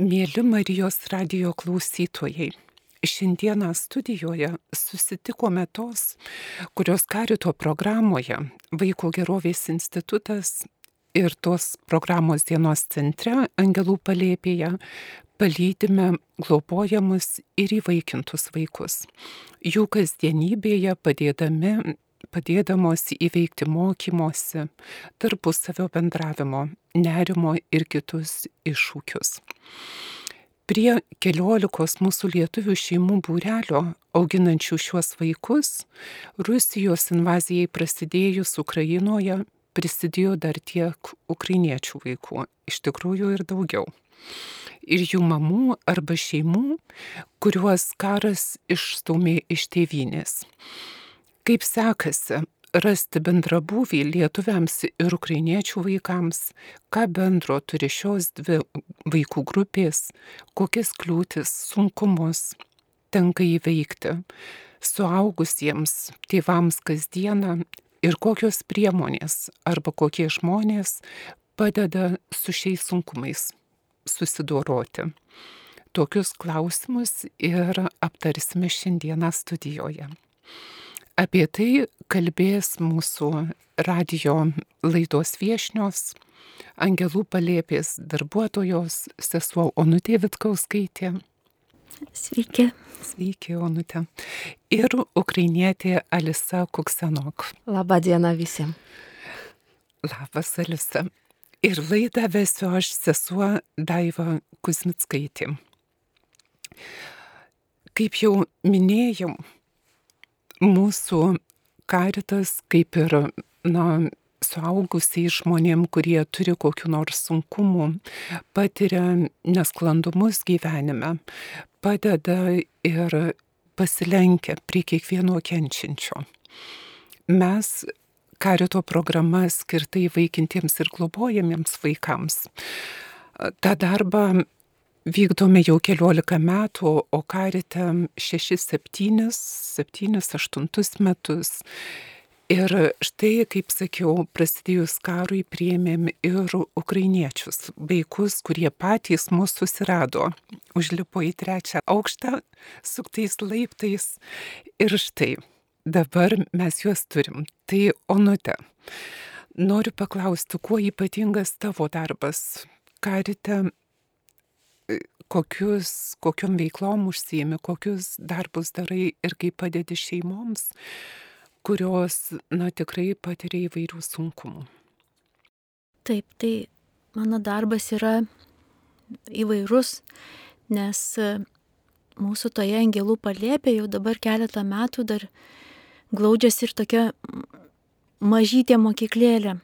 Mėly Marijos radijo klausytojai, šiandieną studijoje susitikome tos, kurios Karito programoje Vaiko gerovės institutas ir tos programos dienos centre Angelų palėpėje palydime globojamus ir įvaikintus vaikus. Jų kasdienybėje padėdamos įveikti mokymosi, tarpusavio bendravimo, nerimo ir kitus iššūkius. Prie 14 mūsų lietuvių šeimų būrelio auginančių šiuos vaikus, Rusijos invazijai prasidėjus Ukrainoje prisidėjo dar tiek ukrainiečių vaikų, iš tikrųjų ir daugiau. Ir jų mamų arba šeimų, kuriuos karas išstūmė iš tėvynės. Kaip sekasi rasti bendrabūvį lietuviams ir ukrainiečių vaikams, ką bendro turi šios dvi vaikų grupės, kokias kliūtis, sunkumus tenka įveikti suaugusiems tėvams kasdieną ir kokios priemonės arba kokie žmonės padeda su šiais sunkumais susidoroti. Tokius klausimus ir aptarsime šiandieną studijoje. Apie tai kalbės mūsų radijo laidos viešnios, Angelų palėpės darbuotojos, sesuo Onutė Vitkauskaitė. Sveiki. Sveiki, Onutė. Ir ukrainietė Alisa Kuksenok. Labą dieną visiems. Labas, Alisa. Ir laidą vesiu aš, sesuo Daiva Kuzmickaitė. Kaip jau minėjau, mūsų Karitas, kaip ir suaugusiai žmonėm, kurie turi kokių nors sunkumų, patiria nesklandumus gyvenime, padeda ir pasilenkia prie kiekvieno kenčiančio. Mes Karito programa skirta įvaikintiems ir globojamiems vaikams. Ta darbą vykdome jau 14 metų, o Karite 6-7, 8 metus. Ir štai, kaip sakiau, prasidėjus karui priėmėm ir ukrainiečius, vaikus, kurie patys mūsų susirado, užlipo į 3. aukštą suktais laiptais ir štai, dabar mes juos turim. Tai Onute, noriu paklausti, kuo ypatingas tavo darbas Karite? Kokiom veiklom užsiimi, kokius darbus darai ir kaip padedi šeimoms, kurios, tikrai patiria įvairių sunkumų. Taip, tai mano darbas yra įvairus, nes mūsų toje Angelų palėpėje jau dabar keletą metų dar glaudžiasi ir tokia mažytė mokyklėlė.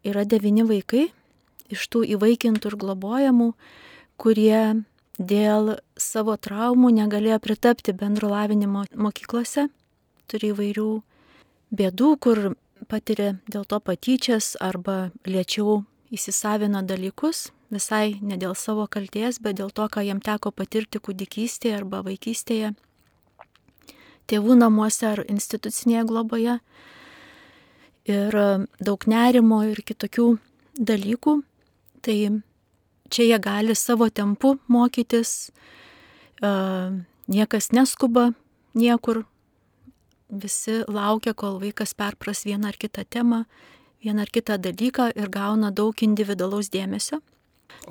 Yra 9 vaikai iš tų įvaikintų ir globojamų, kurie dėl savo traumų negalėjo pritapti bendro lavinimo mokyklose, turi įvairių bėdų, kur patiria dėl to patyčias arba lėčiau įsisavina dalykus, visai ne dėl savo kaltės, bet dėl to, ką jiem teko patirti kūdikystėje arba vaikystėje, tėvų namuose ar institucinėje globoje. Ir daug nerimo ir kitokių dalykų. Tai čia jie gali savo tempu mokytis, niekas neskuba niekur, visi laukia, kol vaikas perpras vieną ar kitą temą, vieną ar kitą dalyką ir gauna daug individualaus dėmesio.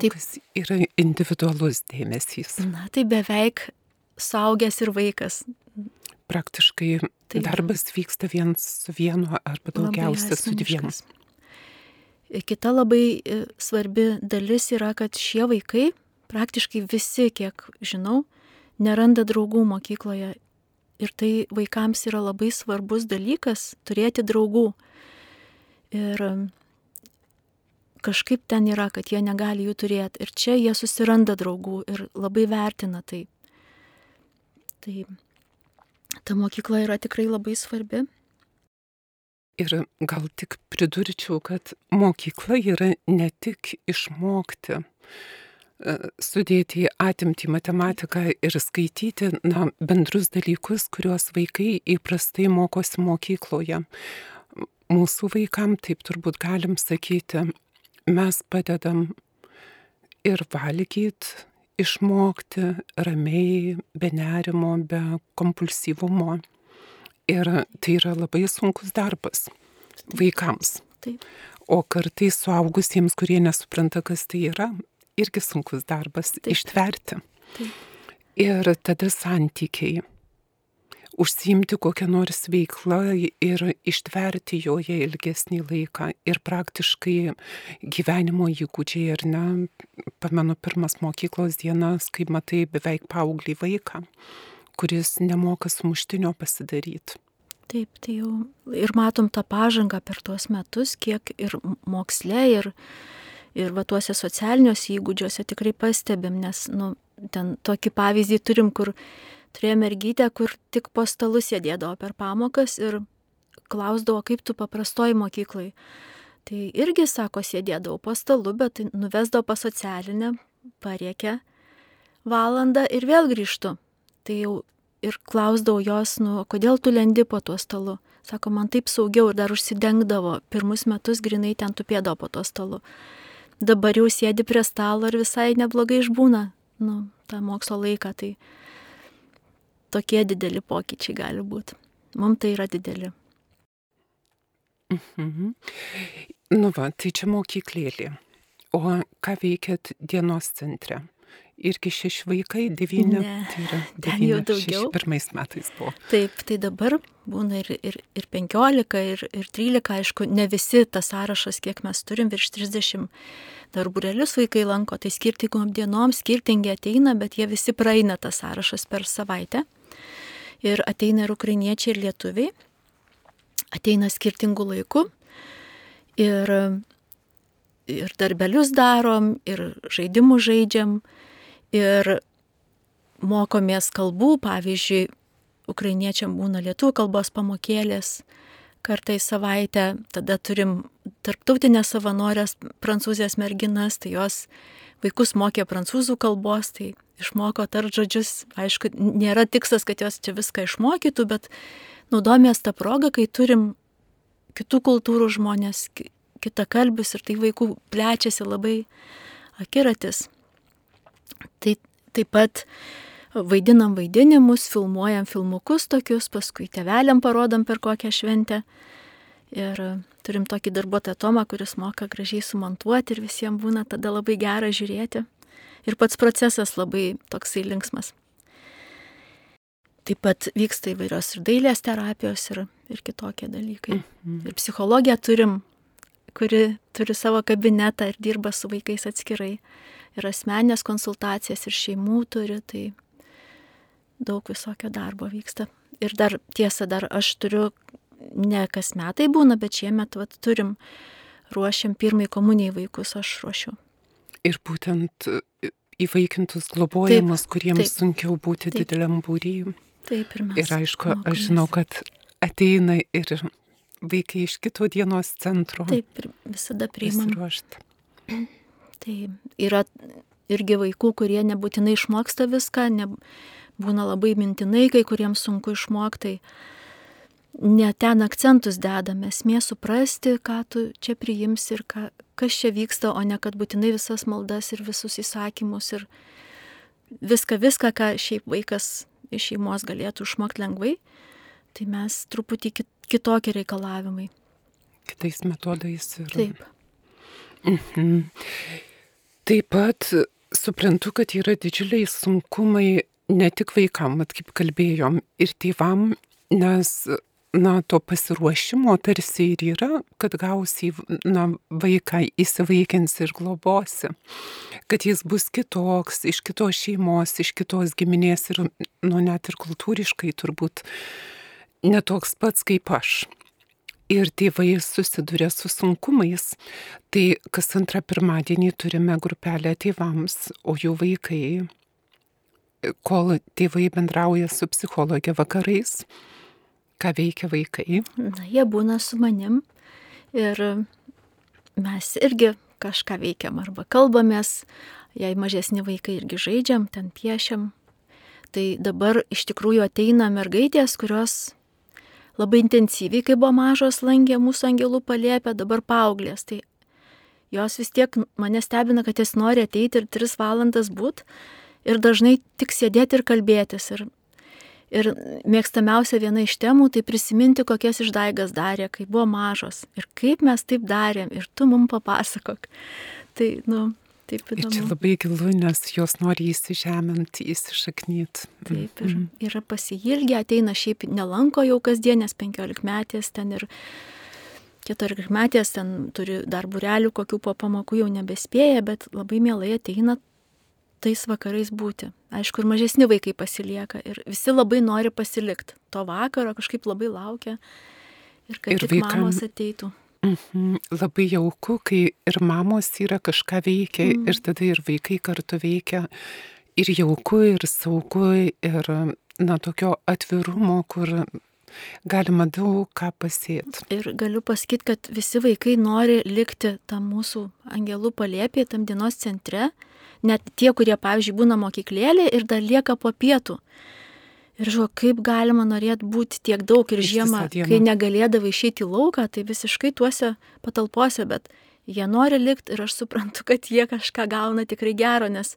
Taip, kas yra individualus dėmesys? Tai beveik suaugęs ir vaikas. Praktiškai darbas vyksta viens su vienu arba daugiausia su 2. Kita labai svarbi dalis yra, kad šie vaikai, praktiškai visi, kiek žinau, neranda draugų mokykloje. Ir tai vaikams yra labai svarbus dalykas turėti draugų. Ir kažkaip ten yra, kad jie negali jų turėti. Ir čia jie susiranda draugų ir labai vertina tai. Tai ta mokykla yra tikrai labai svarbi. Ir gal tik pridurčiau, kad mokykla yra ne tik išmokti, sudėti atimti matematiką ir skaityti bendrus dalykus, kuriuos vaikai įprastai mokosi mokykloje. Mūsų vaikam, taip turbūt galim sakyti, mes padedam ir valgyt, išmokti ramiai, be nerimo, be kompulsyvumo. Ir tai yra labai sunkus darbas vaikams. Taip. O kartais suaugusiems, kurie nesupranta, kas tai yra, irgi sunkus darbas ištverti. Taip. Ir tada santykiai. Užsiimti kokią nors veiklą ir ištverti joje ilgesnį laiką. Ir praktiškai gyvenimo įgūdžiai, ar ne? Pamenu pirmas mokyklos dienas, kai matai beveik paauglį vaiką, kuris nemoka sumuštinio pasidaryti. Taip, tai jau ir matom tą pažangą per tuos metus, kiek ir moksle, ir va tuose socialiniuose įgūdžiuose tikrai pastebim, nes, ten tokį pavyzdį turim, kur turėjome mergytę, kur tik po stalu sėdėdavo per pamokas ir klausdavo, kaip tu paprastoj mokyklai. Tai irgi, sako, sėdėdavo po stalu, bet nuvesdavo pas socialinę, parėkė valandą ir vėl grįžtu. Tai jau ir klausdavau jos, kodėl tu lendi po tuo stalu. Sako, man taip saugiau, ir dar užsidengdavo. Pirmus metus grinai ten tupėdavo po tuo stalu. Dabar jau sėdi prie stalo ir visai neblogai išbūna, tą mokslo laiką. Tai tokie dideli pokyčiai gali būti. Mums tai yra dideli. Tai čia mokyklėlė. O ką veikėt dienos centre? Irgi 6 vaikai, 9, ne, tai yra 9, ten jau daugiau. 61 metais buvo. Taip, tai dabar būna ir 15, ir 13, aišku, ne visi tas sąrašas, kiek mes turim, virš 30 dar būrelius vaikai lanko, tai skirtingom dienom, skirtingi ateina, bet jie visi praeina tas sąrašas per savaitę. Ir ateina ir ukrainiečiai, ir lietuviai, ateina skirtingų laikų. Ir darbelius darom, ir žaidimų žaidžiam. Ir mokomės kalbų, pavyzdžiui, ukrainiečiam būna lietuvių kalbos pamokėlės kartą į savaitę, tada turim tarptautinės savanorės prancūzės merginas, tai jos vaikus mokė prancūzų kalbos, tai išmoko tart žodžius, aišku, nėra tikslas, kad jos čia viską išmokytų, bet naudojamės tą progą, kai turim kitų kultūrų žmonės, kitakalbius, ir tai vaikų plečiasi labai akiratis. Tai taip pat vaidinam vaidinimus, filmuojam filmukus tokius, paskui tėveliam parodam per kokią šventę. Ir turim tokį darbuotoją Tomą, kuris moka gražiai sumontuoti ir visiems būna tada labai gera žiūrėti. Ir pats procesas labai toksai linksmas. Taip pat vyksta įvairios ir dailės terapijos ir kitokie dalykai. Ir psichologiją turim, kuri turi savo kabinetą ir dirba su vaikais atskirai. Ir asmeninės konsultacijas, ir šeimų turi, tai daug visokio darbo vyksta. Ir dar tiesa, aš turiu, ne kas metai būna, bet šiemet turim, ruošiam pirmai komunijai vaikus, aš ruošiu. Ir būtent įvaikintus globojimus, kuriems sunkiau būti dideliam būry. Taip, ir mes. Ir aišku, aš žinau, kad ateina ir vaikai iš kito dienos centro. Taip, ir visada priimam. Pasiruošti. Tai yra irgi vaikų, kurie nebūtinai išmoksta viską, būna labai mintinai, kai kuriems sunku išmokti. Ne ten akcentus dedame, esmė suprasti, ką tu čia priimsi ir kas čia vyksta, o ne kad būtinai visas maldas ir visus įsakymus ir viską, ką šiaip vaikas iš šeimos galėtų išmokti lengvai. Tai mes truputį kitokie reikalavimai. Kitais metodais. Taip. Taip pat suprantu, kad yra didžiuliai sunkumai ne tik vaikam, kaip kalbėjom, ir tėvam, nes to pasiruošimo tarsi ir yra, kad gausi vaiką įsivaikins ir globosi, kad jis bus kitoks, iš kitos šeimos, iš kitos giminės ir net ir kultūriškai turbūt netoks pats kaip aš. Ir tėvai susiduria su sunkumais. Tai kas antrą pirmadienį turime grupelę tėvams, o jų vaikai, kol tėvai bendrauja su psichologė vakarais, ką veikia vaikai? Jie būna su manim ir mes irgi kažką veikiam arba kalbamės, jei mažesni vaikai irgi žaidžiam, ten piešiam. Tai dabar iš tikrųjų ateina mergaitės, kurios labai intensyviai, kai buvo mažos, lankė mūsų angelų palėpę, dabar paauglės. Tai Jos vis tiek mane stebina, kad jis nori ateiti ir 3 valandas būt ir dažnai tik sėdėti ir kalbėtis. Ir mėgstamiausia viena iš temų tai prisiminti, kokias išdaigas darė, kai buvo mažos. Ir kaip mes taip darėm. Ir tu mums papasakok. Tai, taip įdomu. Ir čia labai gilu, nes jos nori įsižeminti, įsišaknyti. Taip, ir yra pasiilgę, ateina šiaip nelanko jau kasdienės 15 metės ten ir 14 metės ten turi dar būrelių, kokių po pamokų jau nebespėja, bet labai mielai ateina tais vakarais būti. Aišku, ir mažesni vaikai pasilieka ir visi labai nori pasilikti. To vakaro kažkaip labai laukia ir kad ir tik mamos ateitų. Labai jauku, kai ir mamos yra kažką veikia ir tada ir vaikai kartu veikia. Ir jauku, ir saugu, ir tokio atvirumo, kur galima daug ką pasėti. Ir galiu pasakyti, kad visi vaikai nori likti tam mūsų angelų palėpėje, tam dienos centre. Net tie, kurie, pavyzdžiui, būna mokyklėlė ir dar lieka po pietų. Ir žiūrėjau, kaip galima norėti būti tiek daug ir žiemą, kai negalėdavai išeiti į lauką, tai visiškai tuose patalpose, bet jie nori likti ir aš suprantu, kad jie kažką gauna tikrai gero, nes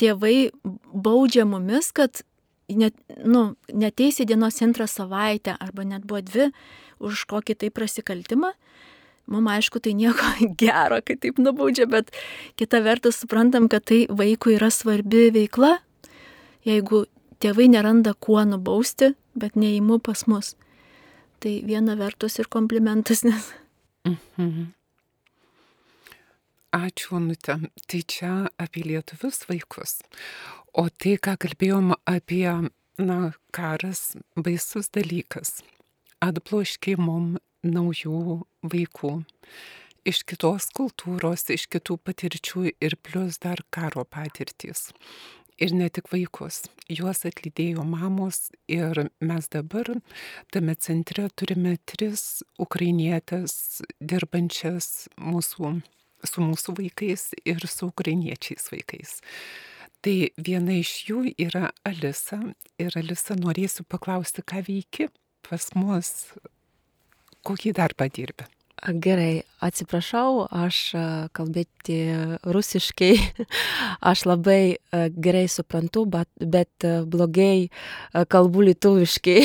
tėvai baudžia mumis, kad neteis į dienos centrą savaitę arba net buvo 2 už kokį tai prasikaltimą. Mums aišku, tai nieko gero, kai taip nubaudžia, bet kita vertus suprantam, kad tai vaikui yra svarbi veikla, jeigu tėvai neranda kuo nubausti, bet neįimu pas mus. Tai viena vertus ir komplimentas, nes... Ačiū, Onute. Tai čia apie lietuvius vaikus. O tai, ką kalbėjom apie, karas, baisus dalykas. Atbloškė mum naujų vaikų iš kitos kultūros, iš kitų patirčių ir plus dar karo patirtys. Ir ne tik vaikus. Juos atlydėjo mamos ir mes dabar tame centre turime 3 ukrainietės dirbančias su mūsų vaikais ir su ukrainiečiais vaikais. Tai viena iš jų yra Alisa. Ir Alisa, norėsiu paklausti, ką veiki pas mus, kokį darbą dirbi. Gerai, atsiprašau, aš kalbėti rusiškai, aš labai gerai suprantu, bet blogai kalbu lietuviškai,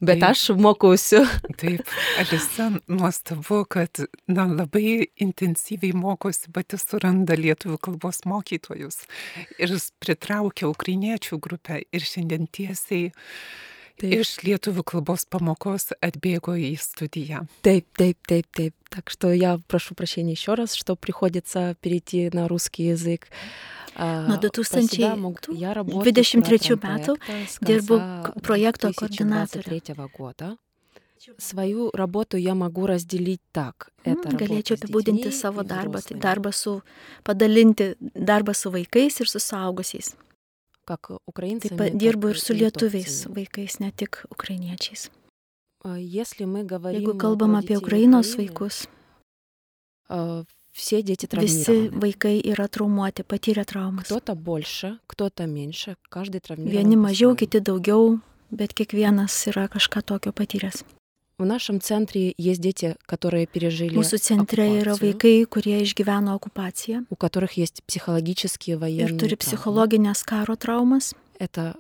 bet aš mokausiu. Taip, Alisa, nuostabu, kad labai intensyviai mokosi, bet jis suranda lietuvių kalbos mokytojus ir pritraukia ukrainiečių grupę ir šiandien tiesiai iš lietuvių kalbos памокos отбегу и студия. Taip. Так что я прошу прощения еще раз, что приходится перейти на русский язык. Nuo 2023 metų dirbu projekto koordinatorė. Свою работу я могу разделить так. Galėčiau apibūdinti savo darbą, tai padalinti darbą su vaikais ir su suaugusiais. Taip pat dirbu ir su lietuviais vaikais, ne tik ukrainiečiais. Jeigu kalbam apie Ukrainos vaikus, visi vaikai yra traumuoti, patyrę traumas. Vieni mažiau, kiti daugiau, bet kiekvienas yra kažką tokio patyręs. Mūsų centre yra vaikai, kurie išgyveno okupaciją ir turi psichologinės karo traumas. Tai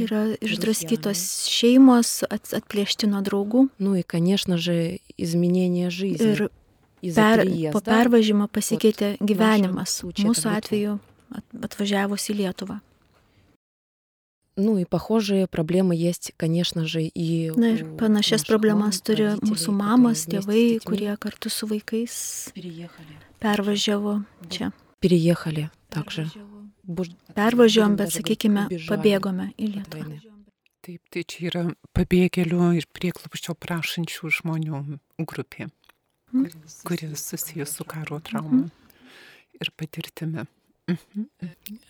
yra išdraskytos šeimos, atplėšti nuo draugų. Ir po pervažimo pasikeitė gyvenimas. Mūsų atveju atvažiavus į Lietuvą. И похожие проблемы есть, конечно же, и... Ir panašias problemas turi mūsų mamos, tėvai, kurie kartu su vaikais pervažiavo čia. Переехали также. Pervažiavom, bet, sakykime, pabėgome į Lietuvą. Taip, tai čia yra pabėgėlių ir prieglobsčio prašančių žmonių grupė, kuri susijus su karo trauma ir patirtimi.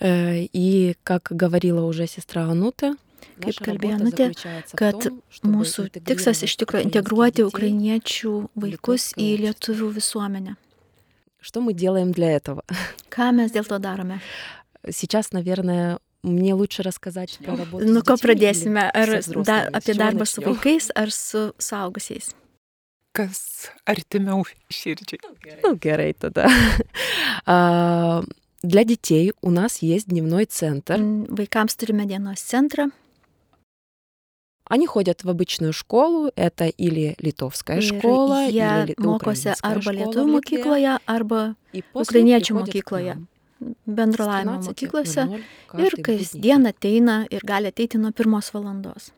И, как говорила уже сестра Анута, kaip kalbėjo Anutė, kad mūsų tikslas iš tikrųjų integruoti ukrainiečių vaikus į lietuvių visuomenę. Что мы делаем для этого? Ką mes dėl to darome? Сейчас, наверное, мне лучше рассказать про работу с детьми. Ko pradėsime? Ar apie darbą su vaikais, ar su suaugusiais? kas artimiau širdžiai. Ну, gerai tada. Для детей у нас есть дневной центр. Vaikams turime dienos centrą. Они ходят в обычную школу, это или литовская школа, Jie или mokosi украинская arba школа lietuvių в Литве. mokykloje, arba И после ukrainiečių приходят к mokykloje, нам bendro с lavinimo 12:00 mokyklose. Ir каждый будний kasdien ateina ir gali ateiti nuo 1 valandos.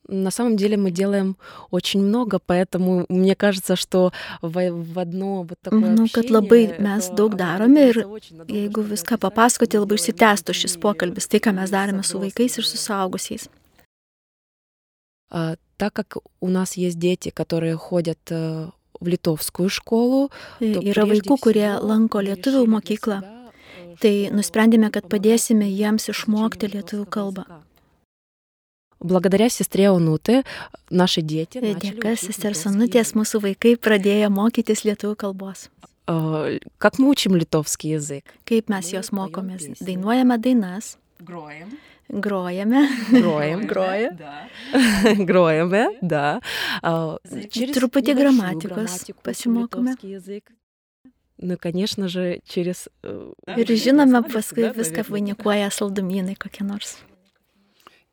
На самом деле мы делаем очень много, поэтому мне кажется, что в одно вот такое Manau, kad общение, labai mes то daug оно darome ir длится очень надолго, jeigu чтобы viską описать, papasakoti, мы labai делаем išsitęstų šis такие pokalbis, tai, ką mes darėme su vaikais ir su забросы. suaugusiais. Так как у нас есть дети, которые ходят в литовскую школу, то Yra прежде vaikų, kurie всего lanko мы lietuvių решили для mokyklą, себя, tai что nusprendėme, kad помогать padėsime им jiems в išmokti изучении lietuvių литовского kalbą. языка. Благодаря сестре Онуты наши дети начали Dėka учить sesters литовский Onutės язык. mūsų vaikai pradėjo mokytis lietuvių kalbos. Как мы учим литовский язык? Kaip mes Мы jos поем mokomės? песни. Dainuojame dainas, Grojam. grojame, Гроем. groja. Да. Гроем, да. Через Truputį небольшую gramatikos грамматику учим pasimokome. литовский язык. Ну, конечно же, через... Ir žinome, paskui viską vainikuoja saldumynai kokie nors.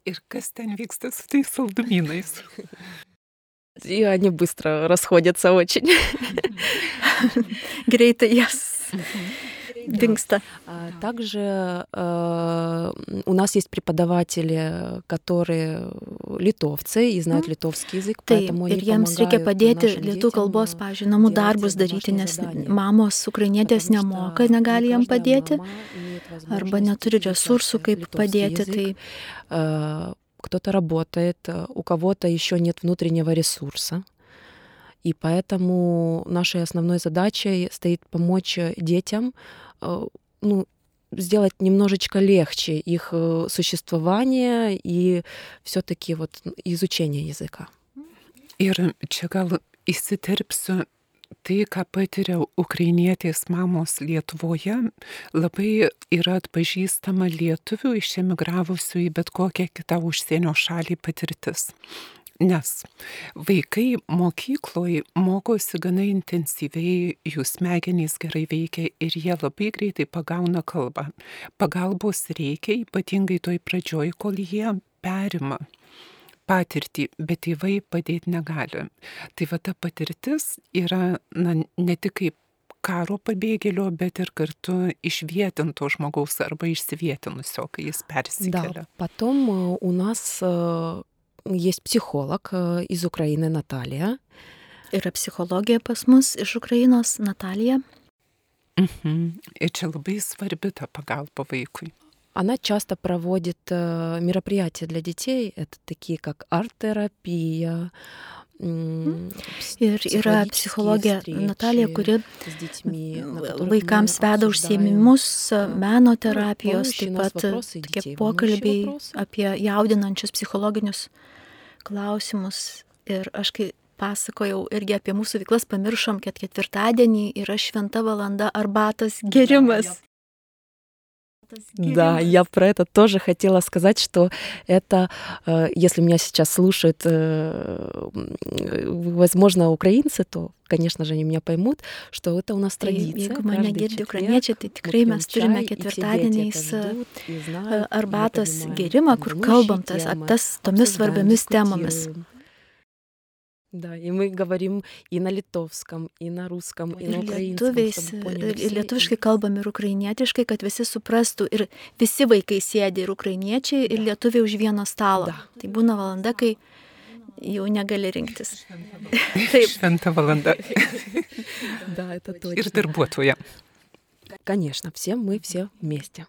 Ir kas ten vyksta su tais saldumynais? И они быстро расходятся очень. Greitai jas dingsta. Также у нас есть преподаватели, которые литовцы и знают литовский язык, Taip, поэтому они ir jiems reikia помогают padėti нашим lietuvių детям kalbos, pavyzdžiui, namų делать darbus daryti, домашние nes задания. mamos ukrainietės Потому nemoka, что negali не jam каждая padėti, мама имеет arba возможность neturi изучать resursų, kaip литовский padėti. язык. Tai Кто-то работает, у кого-то еще нет внутреннего ресурса. И поэтому нашей основной задачей стоит помочь детям сделать немножечко легче их существование и все-таки вот изучение языка. Ir čia gal įsiterpsiu, tai, ką patiria ukrainietės mamos Lietuvoje, labai yra atpažįstama lietuvių išemigravusių į bet kokią kitą užsienio šalį patirtis. Nes vaikai mokykloje mokosi gana intensyviai, jų smegenys gerai veikia ir jie labai greitai pagauna kalbą. Pagalbos reikia, ypatingai toj pradžioj, kol jie perima patirtį, bet tėvai padėti negali. Tai va ta patirtis yra ne tik kaip karo pabėgėlio, bet ir kartu išvietinto žmogaus arba išsivietinusio, kai jis persikelia. Да, потом у нас есть психолог из Украины Наталья. yra psichologija pas mus iš Ukrainos, Natalija. Ir čia labai svarbi ta pagalba vaikui. Она часто проводит мероприятия для детей, это такие как арт-терапия, Ir yra psichologė Natalija, kuri vaikams veda užsiėmimus, meno terapijos, taip pat tokie pokalbiai apie jaudinančius psichologinius klausimus. Ir aš kai pasakojau irgi apie mūsų veiklas, pamiršom, kad ketvirtadienį yra šventa valanda arbatos gėrimas. Да, я про это тоже хотела сказать, что это, если меня сейчас слушают, возможно, украинцы, то, конечно же, они меня поймут, что это у нас традиция. Jeigu mane girdi ukrainiečiai, tai tikrai mes turime ketvirtadieniais arbatos gėrimą, kur kalbam tomis svarbiamis temomis. Да, и мы говорим и на литовском, и на русском, и на украинском. Ir lietuviškai kalbam ir ukrainietiškai, kad visi suprastų ir visi vaikai sėdi ir ukrainiečiai, ir lietuviai už vieno stalo. Tai būna valanda, kai jau negali rinktis. Taip. Šventa valanda. Да, это точно. Ir darbuotoja. Конечно, мы все вместе.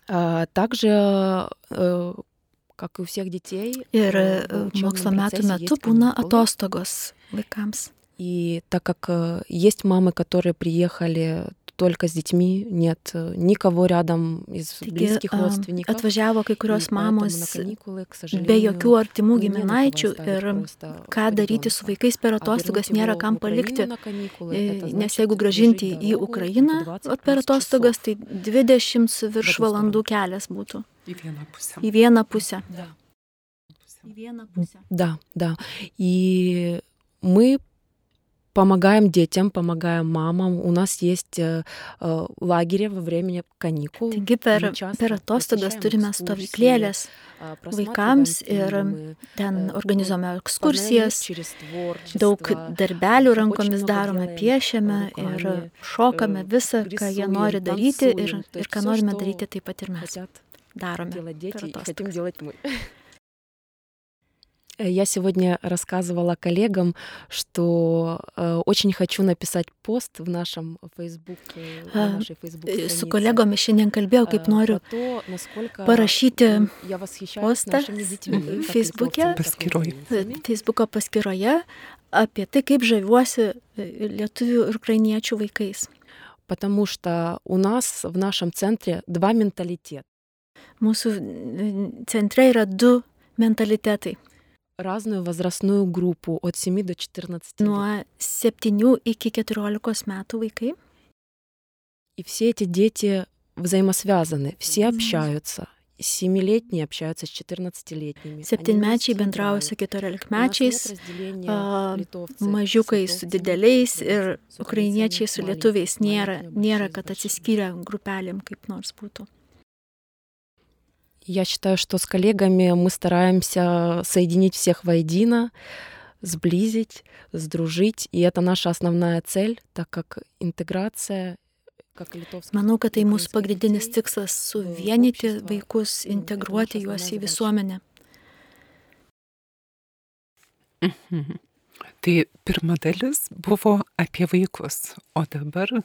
Также как и у всех детей. Ir mokslo metų metu būna atostogos vaikams. И так как есть мамы, которые приехали только с детьми, нет никого рядом из близких родственников. Atvažiavo kai kurios mamos be jokių artimų giminaičių ir ką daryti su vaikais per atostogas nėra kam palikti. Nes jeigu grąžinti į Ukrainą per atostogas, tai 20 virš valandų kelias būtų. Į vieną pusę. Да. И Мы помогаем детям, помогаем мамам. У нас есть лагерį во время каникул. Taigi per atostogas turime stovyklėlės vaikams ir ten organizuojame ekskursijas, daug darbelių rankomis darome, piešiame ir šokame visą, ką jie nori daryti ir ką norime daryti, taip pat ir mes darome per atostogas. Я сегодня рассказывала коллегам, что очень хочу написать пост в нашем Facebook, нашей Facebook-странице. Su kolegomis šiandien kalbėjau, kaip noriu parašyti postą Facebooko paskyroje apie tai, kaip žaviuosi lietuvių ir ukrainiečių vaikais. Потому что у нас в нашем центре два менталитета. Mūsų centre yra du mentalitetai. Разную возрастную группу от 7 до 14 лет. Nuo 7 iki 14 metų vaikai. И все эти дети взаимосвязаны, все общаются. 7-летние общаются с 14-летними. 7-mečiai bendrauja su 14-mečiais, mažiukai su dideliais ir ukrainiečiai su lietuviais. Nėra, kad atsiskyrę grupelėm kaip nors būtų. Я считаю, что с коллегами мы стараемся соединить всех воедино, сблизить, сдружить, и это наша основная цель, так как интеграция, как и литовская. Manau, kad tai mūsų pagrindinis tikslas - suvienyti vaikus, integruoti juos į visuomenę. Tai pirma dalis buvo apie vaikus, o dabar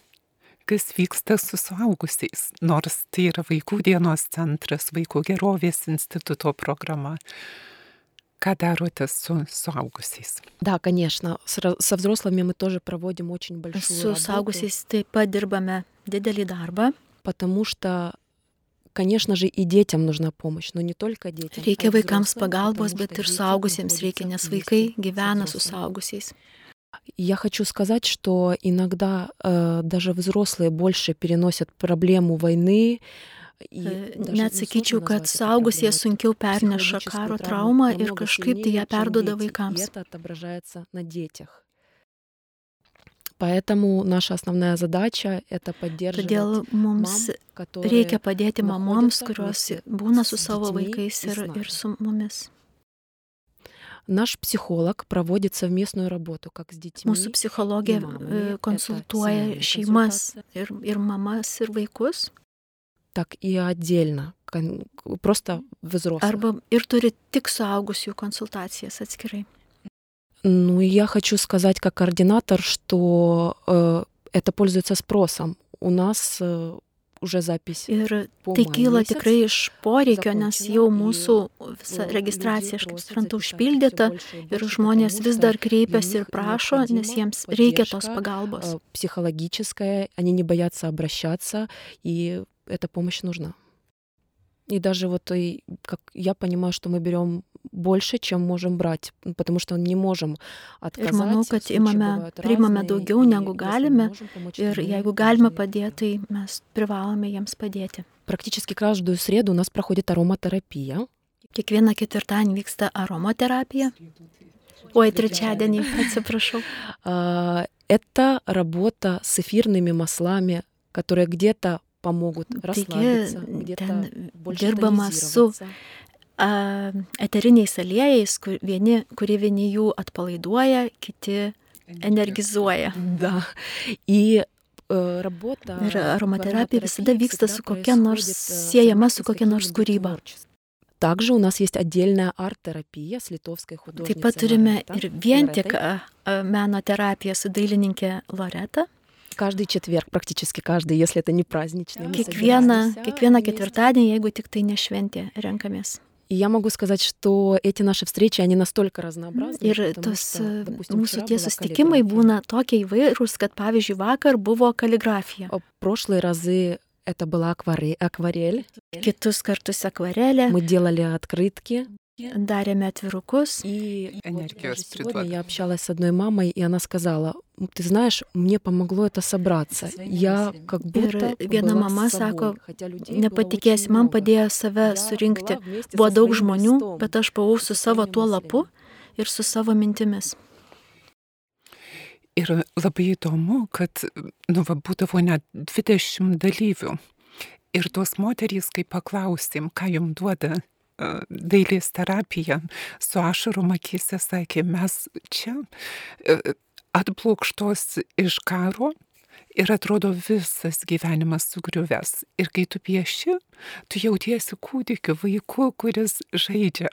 kas vyksta su suaugusiais, nors tai yra Vaikų dienos centras, Vaikų gerovės instituto programa. Ką darote su suaugusiais? Да, конечно. Со взрослыми мы тоже проводим очень большую работу. Su suaugusiais taip pat dirbame didelį darbą. Потому что, конечно же, и детям нужна помощь, но не только детям. Reikia vaikams pagalbos, bet ir suaugusiems reikia, nes vaikai gyvena su suaugusiais. Я хочу сказать, что иногда даже взрослые больше переносят проблему войны. Net sakyčiau, kad suaugusie sunkiau perneša karo traumą ir kažkaip tai ją perduoda vaikams. Поэтому наша основная задача — это поддерживать мам, которые reikia padėti mamoms, kurios būna su savo vaikais ir su mumis. Наш психолог проводит совместную работу как с детьми. Mūsų psichologė konsultuoja šeimas ir mamas, ir vaikus. Так и отдельно, просто взрослых. Arba ir turi tik suaugusių konsultacijas atskirai. Ну, и я хочу сказать как координатор, что это пользуется спросом. У нас уже запись. Ir tai kyla tikrai iš poreikio, nes jau mūsų visa registracija, aš kaip suprantu, užpildyta ir žmonės vis dar kreipiasi ir prašo, nes jiems reikia tos pagalbos. Психологическая, они не боятся обращаться, и эта помощь нужна. И даже вот, как я понимаю, что мы берем больше, чем можем брать, потому что не можем отказать. Ir manau, kad priimame daugiau negu galime ir jeigu galime padėti, tai mes privalome jiems padėti. Практически каждую среду у нас проходит ароматерапия. Kiekvieną ketvirtadienį vyksta aromaterapija. Ой, trečiadienį, atsiprašau. Это работа с эфирными маслами, которые где-то помогут расслабиться, где-то больше тонизироваться. Eteriniais aliejais, kurie vieni jų atpalaiduoja, kiti energizuoja. Да. И работа. Ir aromaterapija visada vyksta su kokia nors, siejama su kokia nors kūryba. Также у нас есть отдельная арт-терапия с литовской художницей. Taip pat turime ir vien tik meno terapiją su dailininkė Loreta. Каждый четверг, практически каждый, если это не праздничный. Kiekvieną ketvirtadienį, jeigu tik tai ne šventė, renkamės. И я могу сказать, что эти наши встречи, они настолько разнообразны. Ir mūsų tie susitikimai būna tokie įvairūs, kad pavyzdžiui vakar buvo kaligrafija. Прошлые разы это была акварель. Kitus kartus akvarelė. Мы делали открытки. Darėme atvirukus. И сегодня я общалась с одной мамой, и она сказала: ты знаешь, мне помогло это собраться. Я как будто viena mama sako, nepatikėsi, man padėjo save surinkti. Buvo daug žmonių, bet aš buvau su savo tuo lapu ir su savo mintimis. Ir labai įdomu, kad būdavo net 20 dalyvių. Ir tos moterys, kai paklausėm, ką jums duoda dailės terapija, su ašarom akyse sakė, mes čia atplūkštos iš karo ir atrodo visas gyvenimas sugriuvęs. Ir kai tu pieši, tu jautiesi kūdikiu, vaiku, kuris žaidžia.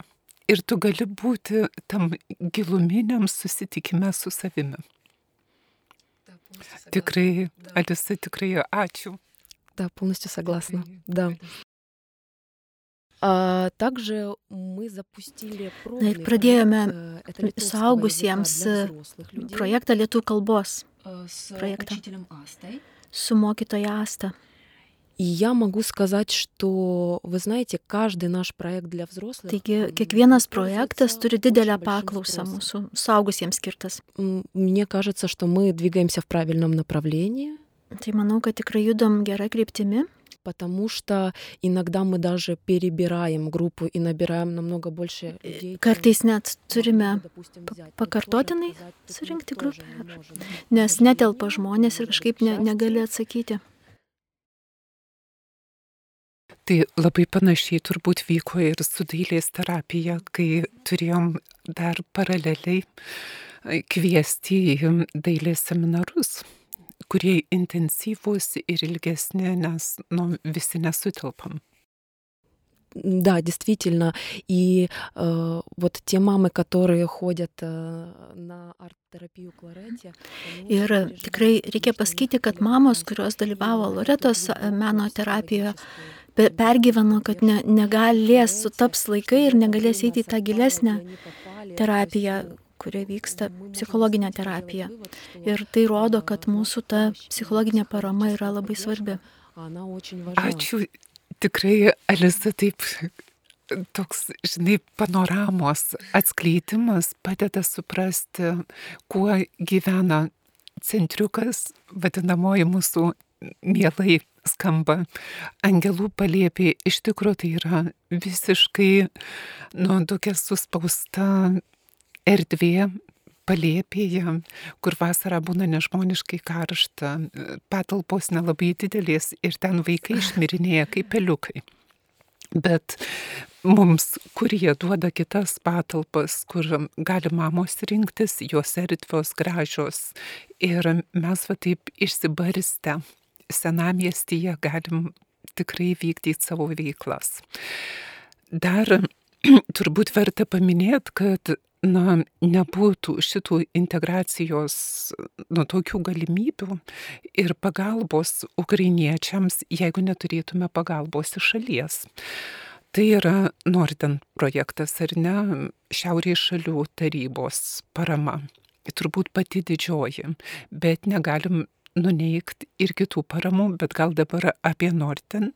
Ir tu gali būti tam giluminiam susitikime su savimi. Tikrai, Alisa, tikrai ačiū. Да, полностью согласна. Да. Также мы запустили Na ir pradėjome suaugusiems projektą lietuvių kalbos проекта su mokytoja Asta. И я могу сказать, что, вы знаете, каждый наш проект для взрослых... Taigi, kiekvienas projektas turi didelę paklausą mūsų suaugusiems skirtas. Мне кажется, что мы двигаемся в правильном направлении. Tai manau, kad tikrai judam gerą kryptimi. Потому что иногда мы даже перебираем группу и набираем намного больше людей. Kartais net turime pakartotinai surinkti grupę, nes netelpa žmonės ir kažkaip negali atsakyti. Tai labai panašiai turbūt vyko ir su dailės terapija, kai turėjom dar paraleliai kviesti į dailės seminarus, kurie intensyvūs ir ilgesni, nes visi nesutelpam. Да, действительно. И вот те мамы, которые ходят на арт-терапию Кларетė. Ir tikrai reikia pasakyti, kad mamos, kurios dalyvavo Loretos meno terapijoje, pergyveno, kad negalės sutaps laikai ir negalės eiti į tą gilesnę terapiją, kuria vyksta psichologinė terapija. Ir tai rodo, kad mūsų ta psichologinė parama yra labai svarbi. Ačiū. Tikrai, Alisa, taip toks, panoramos atskleidimas padeda suprasti, kuo gyvena centriukas, vadinamoji mūsų mielai skamba angelų palėpė. Iš tikrųjų tai yra visiškai tokia suspausta erdvė palėpėje, kur vasarą būna nežmoniškai karšta, patalpos nelabai didelės ir ten vaikai išmirinėja kaip peliukai. Bet mums, kur jie duoda kitas patalpas, kur gali mamos rinktis, jos erdvios gražios. Ir mes taip išsibarstę senamiestyje galim tikrai vykdyti savo veiklas. Dar turbūt verta paminėti, kad nebūtų šitų integracijos tokių galimybių ir pagalbos ukrainiečiams, jeigu neturėtume pagalbos iš šalies. Tai yra Norden projektas, ar ne, Šiaurės šalių tarybos parama. Turbūt pati didžioji, bet negalim nuneigti ir kitų paramų, bet gal dabar apie Norden.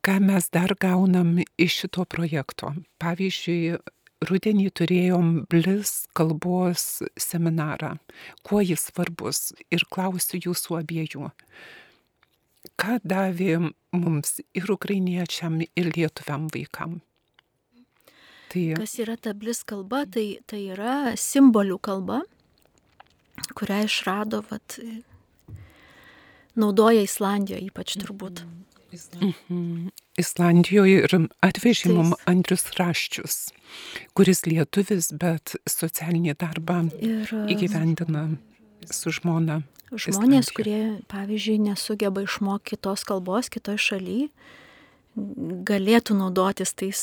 Ką mes dar gaunam iš šito projekto? Pavyzdžiui, rudenį turėjom Blis kalbos seminarą. Kuo jis svarbus? Ir klausiu jūsų abiejų. Ką davė mums ir ukrainiečiam, ir lietuviam vaikam? Kas yra ta Blis kalba? Tai yra simbolių kalba, kurią išrado, naudoja Islandijoje ypač turbūt. Islandijoje ir atvežė mum Andrius Raščius, kuris lietuvis, bet socialinį darbą įgyvendina su žmona. Žmonės, kurie, pavyzdžiui, nesugeba išmokti kitos kalbos kitoj šaly, galėtų naudotis tais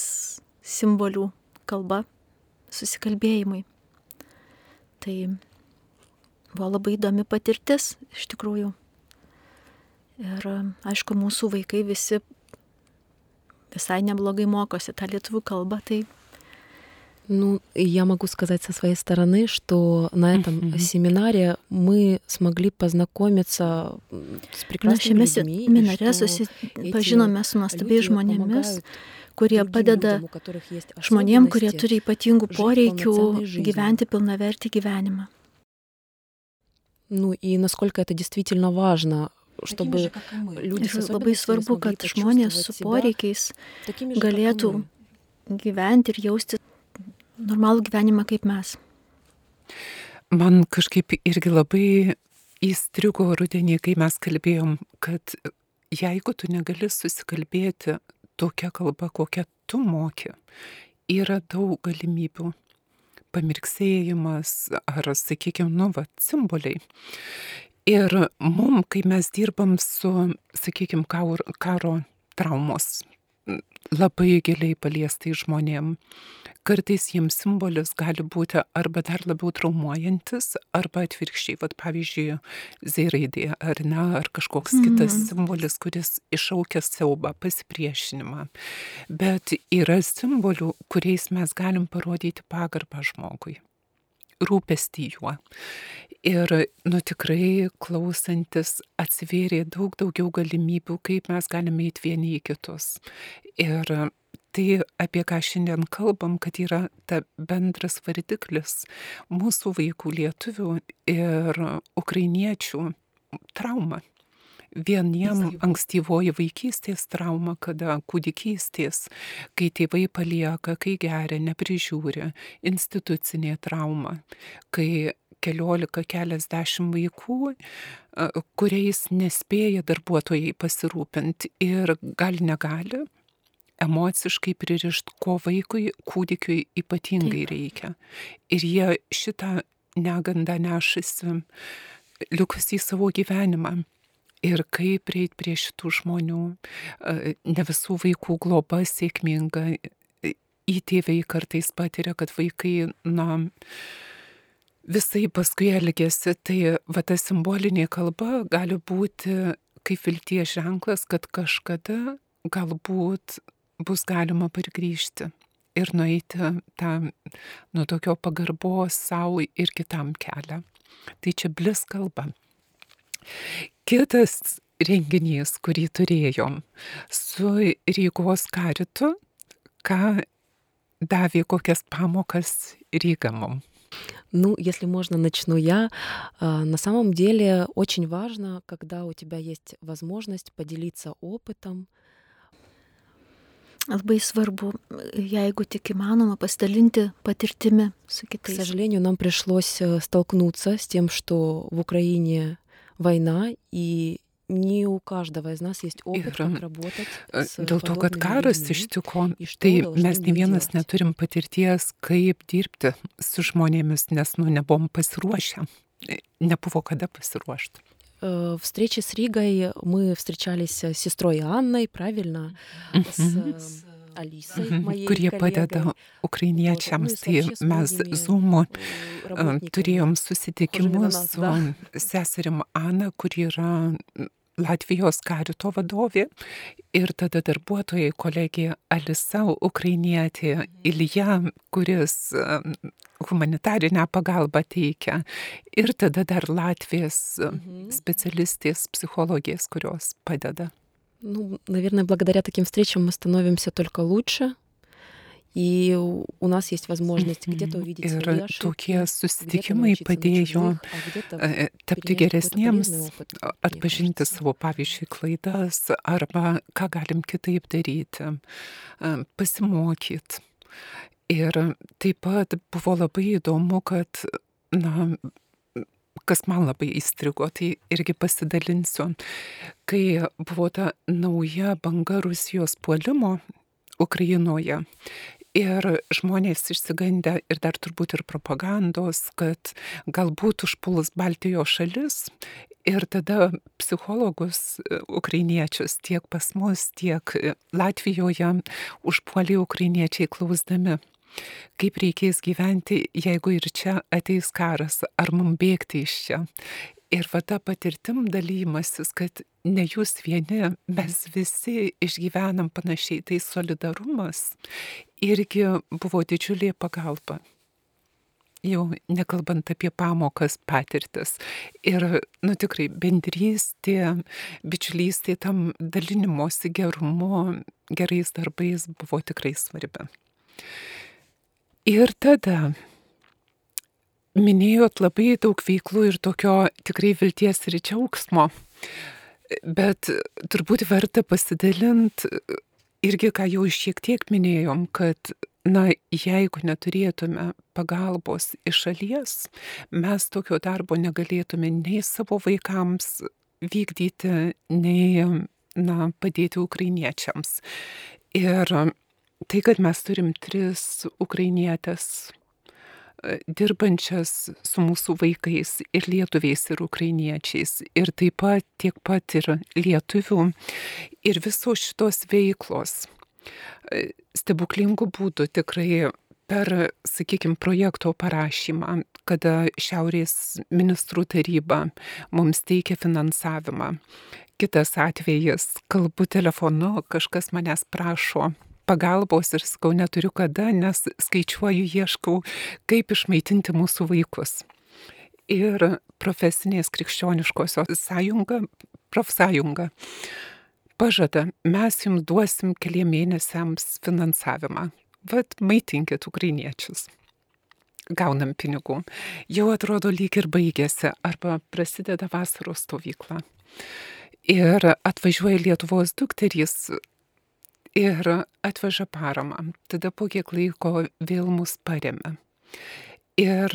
simbolių kalba susikalbėjimui. Tai buvo labai įdomi patirtis, iš tikrųjų. Ir aišku, mūsų vaikai visi visai неблагой моkosi tą lietuvių kalbą, tai... Ну, я могу сказать со своей стороны, что на этом семинаре мы смогли познакомиться с прекрасными людьми. Šiame seminare susipažinome su nuostabiais žmonėmis, kurie padeda žmonėm, kurie turi ypatingų poreikių gyventi pilnavertį gyvenimą. Ну, и насколько это действительно важно, чтобы люди с Labai svarbu, kad žmonės su poreikiais galėtų gyventi ir jausti normalų gyvenimą kaip mes. Man kažkaip irgi labai įstrigo rudenį, kai mes kalbėjom, kad jeigu tu negali susikalbėti tokia kalba, kokią tu moki, yra daug galimybių. Pamirksėjimas ar, sakykime, simboliai. Ir kai mes dirbam su, sakykime, karo traumos labai giliai paliestai žmonėm, kartais jiems simbolis gali būti arba dar labiau traumuojantis, arba atvirkščiai, pavyzdžiui, Z-raidė, ar kažkoks kitas simbolis, kuris iššaukia siaubą, pasipriešinimą. Bet yra simbolių, kuriais mes galim parodyti pagarbą žmogui, rūpestį juo. Ir, tikrai klausantis atsivėrė daug daugiau galimybių, kaip mes galime eiti vieni į kitus. Ir tai, apie ką šiandien kalbam, kad yra ta bendras vardiklis mūsų vaikų lietuvių ir ukrainiečių trauma. Vieniem ankstyvoji vaikystės trauma, kada kūdikystės, kai tėvai palieka, kai geria, neprižiūri, institucinė trauma, kai keliasdešimt vaikų, kuriais nespėja darbuotojai pasirūpinti ir negali emociškai pririšti, ko vaikui, kūdikiui ypatingai reikia. Ir jie šitą negandą nešasi likusį savo gyvenimą. Ir kaip prieiti prie šitų žmonių, ne visų vaikų globa sėkminga, įtėviai kartais patiria, kad vaikai, visai paskui elgiasi, tai ta simbolinė kalba gali būti kaip vilties ženklas, kad kažkada galbūt bus galima pargrįžti ir nueiti tą tokio pagarbos savo ir kitam kelią. Tai čia blis kalba. Kitas renginys, kurį turėjom su Rygos karitu, ką davė kokias pamokas Ryga mum. Если можно, начну я. На самом деле очень важно, когда у тебя есть возможность поделиться опытом. Labai svarbu, jeigu tik įmanoma, pasidalinti patirtimi su kitais. К сожалению, нам пришлось столкнуться с тем, что в Украине война, и не у каждого из нас есть опыт, как работать с Dėl to, kad karas ištiko, и что tai должны mes ne мы vienas делать. neturim patirties, kaip dirbti su žmonėmis, nes nebuvom pasiruošę. Nebuvo kada pasiruošti. Встречи с Ригой мы встречались с сестрой Анной, правильно? С Алисой, моей Kurie padeda коллегой. ukrainiečiams. Tai mes Zoom turėjom susitikimus su seserim Ana, kuri yra Latvijos karito vadovė, ir tada darbuotojai kolegė Alisa, ukrainietė, Ilja, kuris humanitarinę pagalbą teikia, ir tada dar Latvijos specialistės, psichologės, kurios padeda. Наверное, благодаря таким встречам мы становимся только лучше, и у нас есть возможность где-то увидеть свои Ir ошибки, tokie susitikimai padėjo tapti geresniems, atpažinti savo, pavyzdžiui, klaidas, arba ką galim kitaip daryti, pasimokyti. Ir taip pat buvo labai įdomu, kad, kas man labai įstrigo, tai irgi pasidalinsiu, kai buvo ta nauja banga Rusijos puolimo Ukrainoje. Ir žmonės išsigandę ir dar turbūt ir propagandos, kad galbūt užpuls Baltijos šalis, ir tada psichologus ukrainiečius tiek pas mus, tiek Latvijoje užpuolė ukrainiečiai klausdami, kaip reikės gyventi, jeigu ir čia ateis karas, ar mums bėgti iš čia. Ir ta patirtim dalymasis, kad ne jūs vieni, mes visi išgyvenam panašiai, tai solidarumas irgi buvo didžiulė pagalba. Jau nekalbant apie pamokas, patirtis. Ir, tikrai, bendrystė, bičiulystė, tam dalinimosi gerumu, gerais darbais buvo tikrai svarbi. Ir tada minėjot labai daug veiklų ir tokio tikrai vilties ir džiaugsmo, bet turbūt verta pasidalinti irgi, ką jau šiek tiek minėjom, kad jeigu neturėtume pagalbos iš šalies, mes tokio darbo negalėtume nei savo vaikams vykdyti, nei, padėti ukrainiečiams. Ir tai, kad mes turim 3 ukrainietės dirbančias su mūsų vaikais ir lietuviais ir ukrainiečiais, ir taip pat tiek pat ir lietuvių, ir visos šitos veiklos stebuklingų būdų tikrai per, sakykime, projekto parašymą, kada Šiaurės ministrų taryba mums teikia finansavimą. Kitas atvejis, kalbu telefonu, kažkas manęs prašo pagalbos ir sakau, neturiu kada, nes skaičiuoju, ieškau, kaip išmaitinti mūsų vaikus. Ir profesinės krikščioniškosios profsąjunga pažada, mes jums duosim 4 mėnesiams finansavimą. Vat maitinkit ukrainiečius. Gaunam pinigų. Jau atrodo lyg ir baigėsi, arba prasideda vasaros stovykla. Ir atvažiuoja Lietuvos dukterys ir atveža paramą. Tada po kiek laiko vėl mus paremia. Ir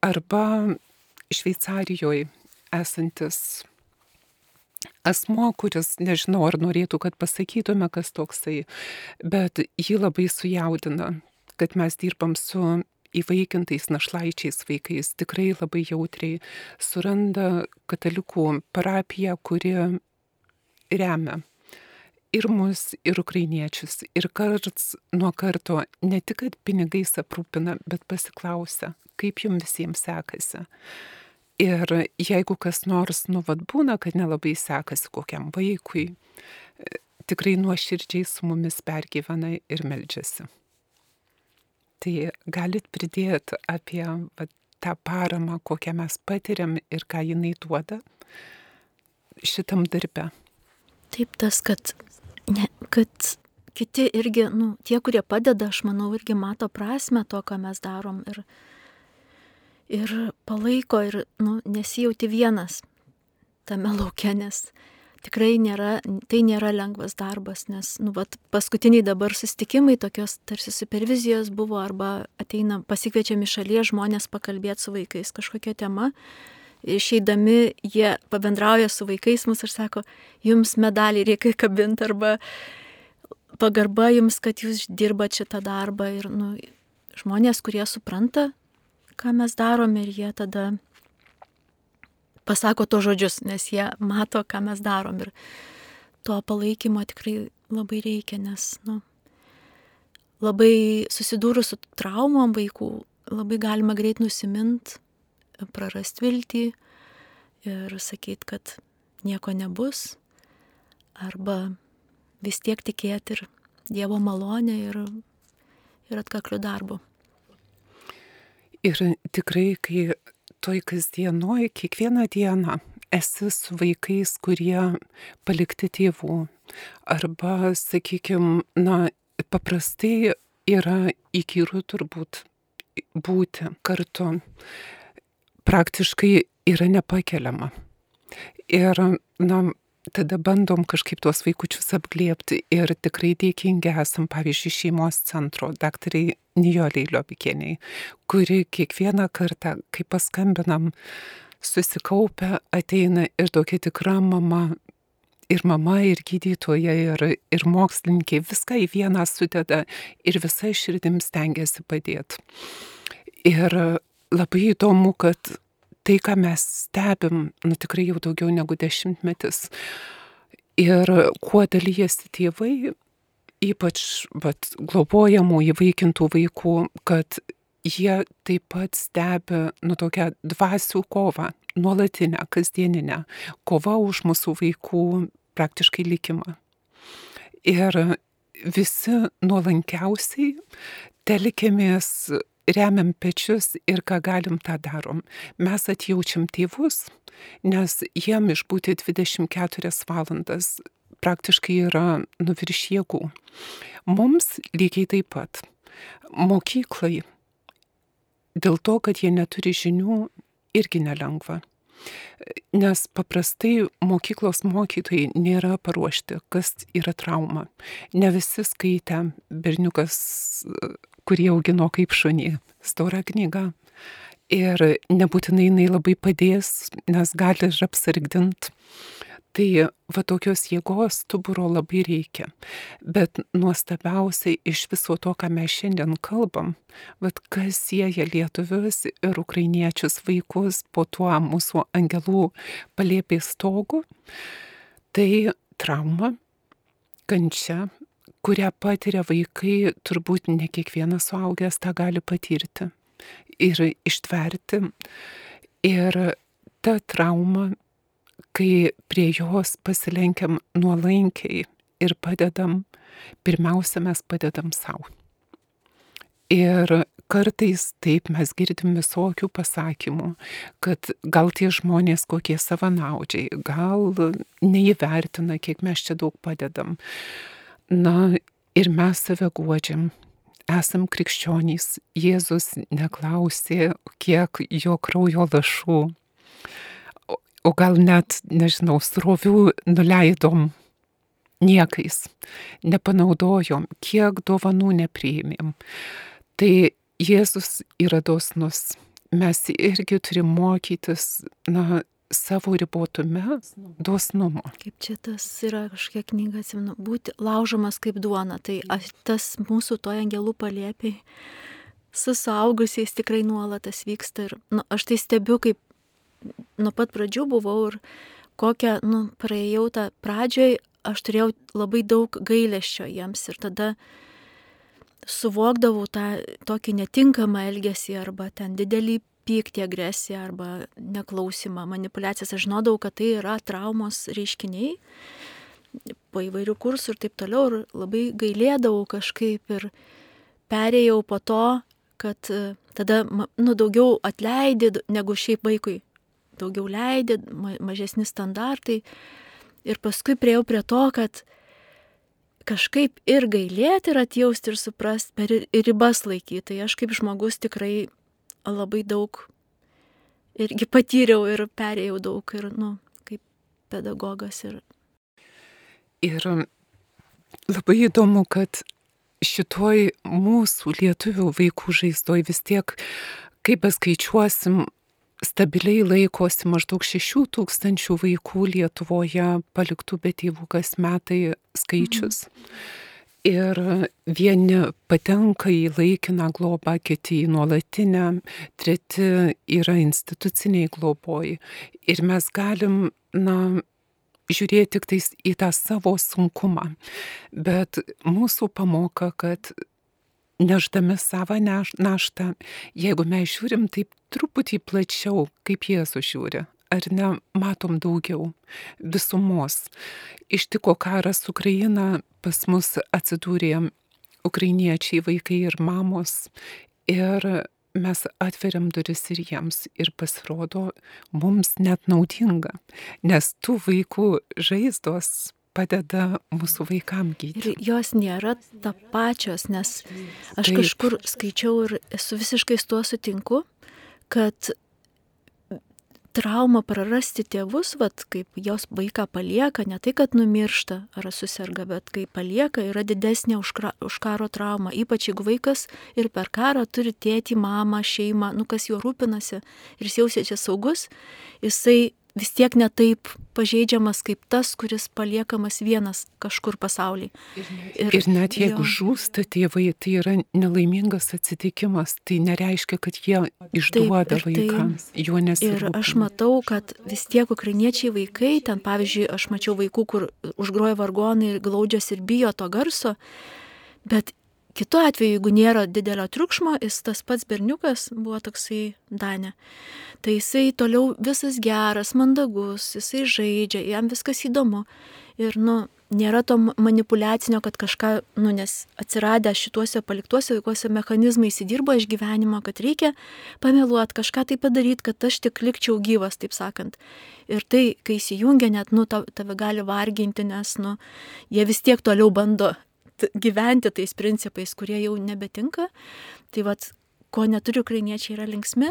arba Šveicarijoje esantis asmo, kuris, nežinau, ar norėtų, kad pasakytume, kas toksai, bet jį labai sujaudina, kad mes dirbam su įvaikintais našlaičiais vaikais, tikrai labai jautriai suranda katalikų parapiją, kuri remia ir mus, ir ukrainiečius. Ir karts nuo karto ne tik, kad pinigais aprūpina, bet pasiklausia, kaip jums visiems sekasi. Ir jeigu kas nors, būna, kad nelabai sekasi kokiam vaikui, tikrai nuoširdžiai su mumis pergyvena ir meldžiasi. Tai galit pridėti apie tą paramą, kokią mes patiriam ir ką jinai duoda šitam darbe. Taip, tas, kad kiti irgi, tie, kurie padeda, aš manau, irgi mato prasme to, ką mes darom ir palaiko ir nesijauti vienas tame lauke, nes tikrai tai nėra lengvas darbas, nes paskutiniai dabar susitikimai, tokios tarsi supervizijos buvo, arba ateina pasikviečiami šalies žmonės pakalbėti su vaikais kažkokia tema. Išeidami jie pabendrauja su vaikais mus ir sako, jums medalį reikia kabinti, arba pagarba jums, kad jūs dirbat šitą darbą. Ir žmonės, kurie supranta, ką mes darome, ir jie tada pasako to žodžius, nes jie mato, ką mes darom. Ir to palaikymo tikrai labai reikia, nes labai susidūrus su traumom vaikų, labai galima greit nusimint, prarast viltį ir sakyti, kad nieko nebus, arba vis tiek tikėti ir Dievo malonę ir atkakliu darbu. Ir tikrai, kai toj kasdienoj, kiekvieną dieną esi su vaikais, kurie palikti tėvų, arba, sakykime, paprastai yra įkyru turbūt būti kartu, praktiškai yra nepakeliama. Ir, tada bandom kažkaip tuos vaikučius apglėbti ir tikrai dėkingi esam, pavyzdžiui, šeimos centro daktarai Nijolei Liobikienei, kuri kiekvieną kartą, kai paskambinam, susikaupia, ateina ir tokia tikra mama, ir gydytoja, ir mokslininkė, viską į vieną sudeda ir visai širdim stengiasi padėti. Ir labai įdomu, kad tai, ką mes stebim, tikrai jau daugiau negu 10 metus. Ir kuo dalyjasi tėvai, ypač globojamų, įvaikintų vaikų, kad jie taip pat stebi tokią dvasių kovą, nuolatinę, kasdieninę, kovą už mūsų vaikų praktiškai likimą. Ir visi nuolankiausiai telkėmės, remiam pečius ir ką galim, tą darom. Mes atjaučiam tėvus, nes jiem išbūti 24 valandas praktiškai yra virš jėgų. Mums lygiai taip pat. Mokyklai, dėl to, kad jie neturi žinių, irgi nelengva. Nes paprastai mokyklos mokytojai nėra paruošti, kas yra trauma. Ne visi skaitę, berniukas kurį augino kaip šunį. Stora knyga. Ir nebūtinai jinai labai padės, nes gali ir apsargdint. Tai va tokios jėgos stuburo labai reikia. Bet nuostabiausiai iš viso to, ką mes šiandien kalbam, vat kas sieja lietuvius ir ukrainiečius vaikus po tuo mūsų angelų palėpės stogu, tai trauma, kančia, kurią patiria vaikai, turbūt ne kiekvienas suaugęs tą gali patirti ir ištverti. Ir ta trauma, kai prie jos pasilenkiam nuolankiai ir padedam, pirmiausia mes padedam savo. Ir kartais taip mes girdim visokių pasakymų, kad gal tie žmonės kokie savanaudžiai, gal neįvertina, kiek mes čia daug padedam. Na ir mes save guodžiam. Esam krikščionys. Jėzus neklausė, kiek jo kraujo lašų, o gal net, nežinau, srovių nuleidom niekais, nepanaudojom, kiek dovanų nepriėmėm. Tai Jėzus yra dosnus. Mes irgi turim mokytis, savo ribotume dosnumo. Kaip čia tas yra kažkokia knyga, atsimenu, būti laužomas kaip duona. Tai tas mūsų to angelų palėpiai su suaugusiais tikrai nuolatas vyksta. Ir aš tai stebiu, kaip nuo pat pradžių buvau ir kokią, praėjau tą pradžioj, aš turėjau labai daug gailesčio jiems ir tada suvokdavau tą tokį netinkamą elgesį arba ten didelį pyktį, agresiją arba neklausimą, manipulacijas. Aš žinodavau, kad tai yra traumos reiškiniai po įvairių kursų ir taip toliau ir labai gailėdavau kažkaip ir perėjau po to, kad tada daugiau atleidė negu šiaip vaikui. Daugiau leidė, mažesni standartai. Ir paskui priejau prie to, kad kažkaip ir gailėti, ir atjausti, ir suprasti, ir ribas laikyti. Tai aš kaip žmogus tikrai labai daug irgi patyriau ir perėjau daug ir, kaip pedagogas. Ir labai įdomu, kad šitoj mūsų lietuvių vaikų žaizdoj vis tiek, kaip paskaičiuosim, stabiliai laikosi maždaug 6,000 vaikų Lietuvoje paliktų be tėvų kas metai skaičius. Ir vieni patenka į laikiną globą, kiti į nuolatinę, treti yra instituciniai globoj. Ir mes galim, žiūrėti tik tais į tą savo sunkumą. Bet mūsų pamoka, kad neždami savo naštą, jeigu mes žiūrim taip truputį plačiau, kaip Jėzus žiūri, ar ne, matom daugiau visumos. Ištiko karas Ukraina, pas mus atsidūrė ukrainiečiai, vaikai ir mamos, ir mes atveriam duris ir jiems, ir pasirodo mums net naudinga, nes tų vaikų žaizdos padeda mūsų vaikam gydyti. Ir jos nėra tapačios, nes aš kažkur skaičiau ir esu visiškai su tuo sutinku, kad trauma prarasti tėvus, kaip jos vaiką palieka, ne tai, kad numiršta ar suserga, bet kai palieka, yra didesnė už karo traumą. Ypač jeigu vaikas ir per karą turi tėtį, mamą, šeimą, kas juo rūpinasi ir jis jaučiasi saugus, jisai vis tiek netaip pažeidžiamas kaip tas, kuris paliekamas vienas kažkur pasaulyje. Ir net jeigu žūsta tėvai, tai yra nelaimingas atsitikimas, tai nereiškia, kad jie išduoda vaikams, juo nesirūpina. Ir aš matau, kad vis tiek ukrainiečiai vaikai, ten pavyzdžiui, aš mačiau vaikų, kur užgroja vargonai ir glaudžiasi ir bijo to garso, bet kitu atveju, jeigu nėra didelio triukšmo, jis tas pats berniukas buvo toksai Danė. Tai jisai toliau visas geras, mandagus, jisai žaidžia, jam viskas įdomu. Ir, nėra to manipuliacinio, kad kažką, nes atsiradę šituose paliktuose vaikuose mechanizmai įsidirbo iš gyvenimo, kad reikia pameluoti, kažką tai padaryti, kad aš tik likčiau gyvas, taip sakant. Ir tai, kai įsijungia, net, tave gali varginti, nes, jie vis tiek toliau bando gyventi tais principais, kurie jau nebetinka. Tai ko neturi ukrainiečiai, yra linksmi,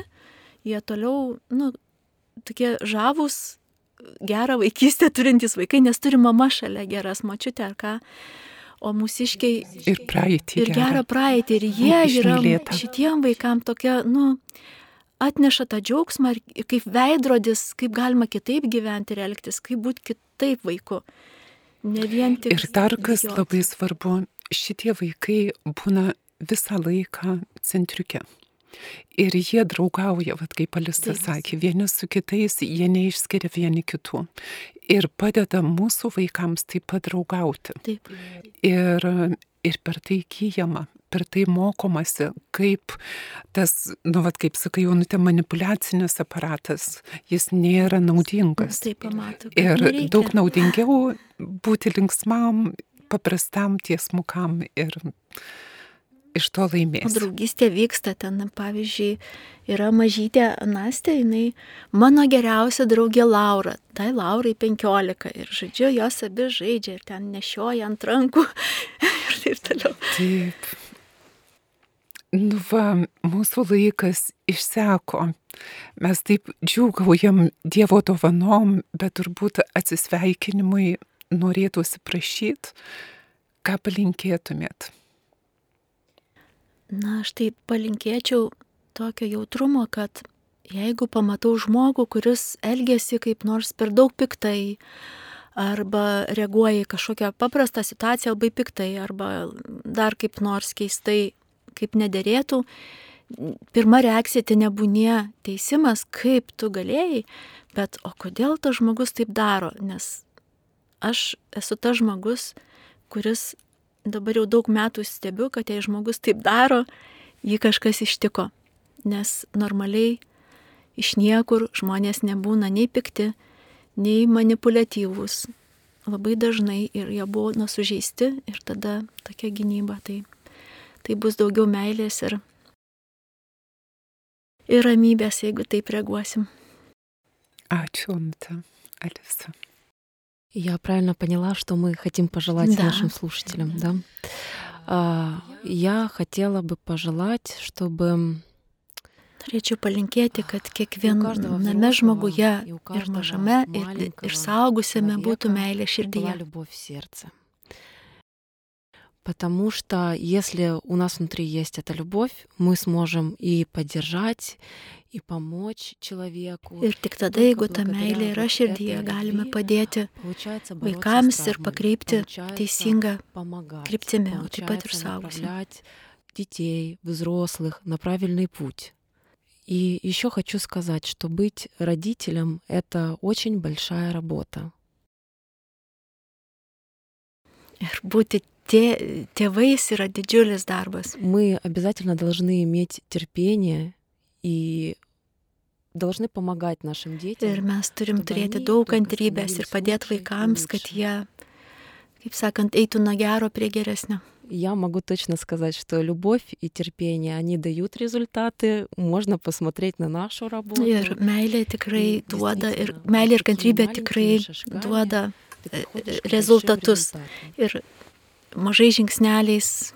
jie toliau, tokie žavūs, gerą vaikystę turintys vaikai, nes turi mama šalia, geras močiutė ar ką. O mūsiškiai Ir praeitį. ir gerą praeitį. Ir jie yra Išmylėtą. šitiem vaikam tokia, atneša tą džiaugsmą ir kaip veidrodis, kaip galima kitaip gyventi ir elgtis, kaip būti kitaip vaiku. Ne vien tik. Ir dar kas bėgiot. labai svarbu, šitie vaikai būna visą laiką centriuke. Ir jie draugauja, vat, kaip Alisa sakė, vieni su kitais, jie neišskiria vieni kitų. Ir padeda mūsų vaikams taip pat draugauti. Taip. Ir per tai įgyjama, per tai mokomasi, kaip tas, vat, kaip sakai, Jaunutė, manipuliacinis aparatas, jis nėra naudingas. Taip pamato. Ir daug naudingiau būti linksmam, paprastam, tiesmukam ir iš to O laimės. draugystė vyksta ten, pavyzdžiui, yra mažytė Nastė, jinai mano geriausia draugė Laura. Tai Laurai 15 ir žodžiu, jos abi žaidžia ir ten nešioja ant rankų ir taip toliau. Taip. Mūsų laikas išseko. Mes taip džiūgaujam Dievo dovanom, bet turbūt atsisveikinimui norėtųsi prašyti, ką palinkėtumėt. Aš taip palinkėčiau tokio jautrumo, kad jeigu pamatau žmogų, kuris elgesi kaip nors per daug piktai, arba reaguoja į kažkokią paprastą situaciją labai piktai, arba dar kaip nors keistai, kaip nederėtų, pirma reakcija tai nebūnie teisimas, kaip tu galėjai, bet o kodėl tas žmogus taip daro, nes aš esu tas žmogus, kuris dabar jau daug metų stebiu, kad jei žmogus taip daro, jį kažkas ištiko. Nes normaliai iš niekur žmonės nebūna nei pikti, nei manipuliatyvūs. Labai dažnai ir jie buvo sužeisti ir tada tokia gynyba. Tai bus daugiau meilės ir ramybės, jeigu taip reaguosim. Ačiū, Jaunutė. Alisa. Я правильно поняла, что мы хотим пожелать нашим слушателям, да? Я хотела бы пожелать, чтобы... Norėčiau palinkėti, kad kiekviename žmoguje ir mažame, ir saugusiame būtų meilė širdyje. Потому что если у нас внутри есть эта любовь, мы сможем и поддержать, и помочь человеку. Ir tik tada, jeigu ta meilė yra širdyje, galime padėti vaikams ir pakreipti teisingą kryptimį, o taip pat ir suaugusiems. Детей, взрослых на правильный путь. И еще хочу сказать, что быть родителем — это очень большая работа. Ir būti tėvais yra didžiulis darbas. Мы обязательно должны иметь терпение и должны помогать нашим детям. Ir mes turim turėti daug kantrybės ir padėti vaikams, kad jie, kaip sakant, eitų nuo gero prie geresnio. Я могу точно сказать, что любовь и терпение, они дают результаты. Можно посмотреть на нашу работу. Ir meilė tikrai duoda, ir meilė ir kantrybė tikrai duoda rezultatus. Ir mažai žingsneliais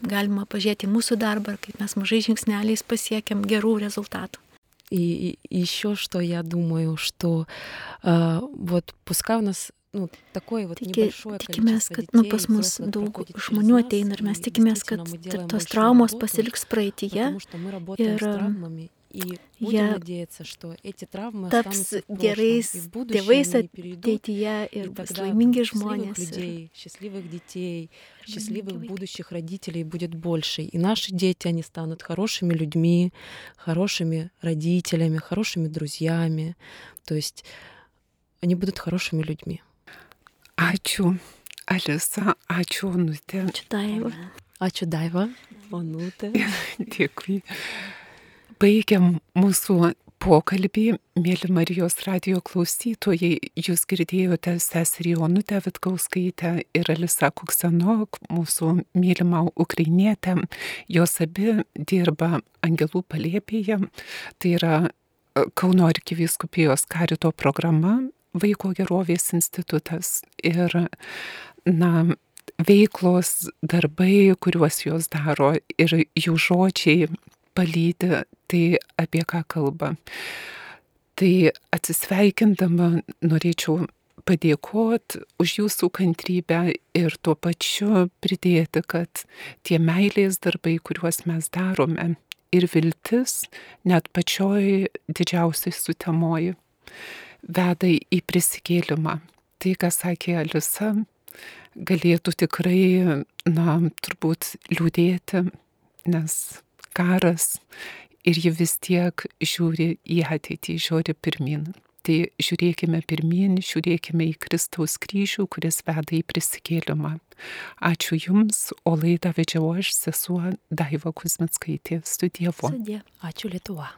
galima pažiūrėti mūsų darbą, kaip mes mažai žingsneliais pasiekėm gerų rezультатов. И еще что я думаю, что вот пускай у нас такое вот небольшое количество детей, tikimės, kad pas mus daug žmonių ateina ir mes tikimės, kad tos traumos pasiliks praeityje ir jie taps gerais tėvais ateityje ir bus laimingi žmonės. Счастливых детей, счастливых будущих родителей будет больше. И наши дети, они станут хорошими людьми, хорошими родителями, хорошими друзьями. То есть они будут хорошими людьми. Ačiū, Alisa, ačiū, Onutė. Ačiū, Daiva. Ačiū, Daiva. Onutė. Dėkui. Baigiam mūsų pokalbį, mėly Marijos radijo klausytojai. Jūs girdėjote seserį Onutę Vitkauskaitę ir Alisa Kuksanok, mūsų mylimą ukrainietę. Jos abi dirba Angelų palėpėje. Tai yra Kauno arkivyskupijos karito programa, Vaiko gerovės institutas ir, veiklos darbai, kuriuos jos daro ir jų žodžiai palydi, tai apie ką kalba. Tai atsisveikindama norėčiau padėkoti už jūsų kantrybę ir tuo pačiu pridėti, kad tie meilės darbai, kuriuos mes darome, ir viltis, net pačioj didžiausiai sutemoji, veda į prisikėlimą. Tai, ką sakė Alisa, galėtų tikrai, turbūt liūdėti, nes karas ir ji vis tiek žiūri į ateitį, žiūri pirmin. Tai žiūrėkime pirmin, žiūrėkime į Kristaus kryžių, kuris veda į prisikėlimą. Ačiū Jums, o laidą vedžiau aš, sesuo Daiva Kuzmickaitė. Su Dievu. Ačiū Lietuva.